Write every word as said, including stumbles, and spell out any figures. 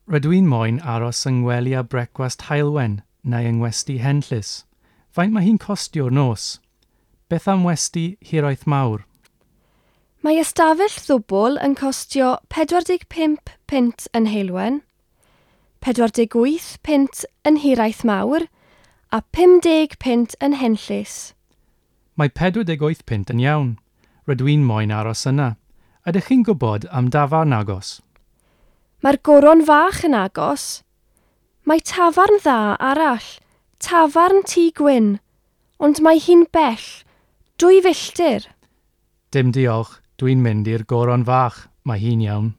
Rydw i'n moyn aros yng ngwely a brecwast Heulwen neu yng ngwesty Henllys. Faint mae hi'n costio'r nos? Beth am westy Hiraeth Mawr? Mae ystafell ddwbl yn costio pedwar deg pump punt yn Heulwen, pedwar deg wyth punt yn Hiraeth Mawr a pum deg punt yn Henllys. Mae pedwar deg wyth punt yn iawn. Rydw i'n moyn aros yna. Ydych chi'n gwybod am dafarn agos? Mae'r Goron Fach yn agos. Mae tafarn dda arall, tafarn Tŷ Gwyn, ond mae hi'n bell, dwy filltir. Dim diolch, dwi'n mynd i'r Goron Fach, mae hi'n iawn.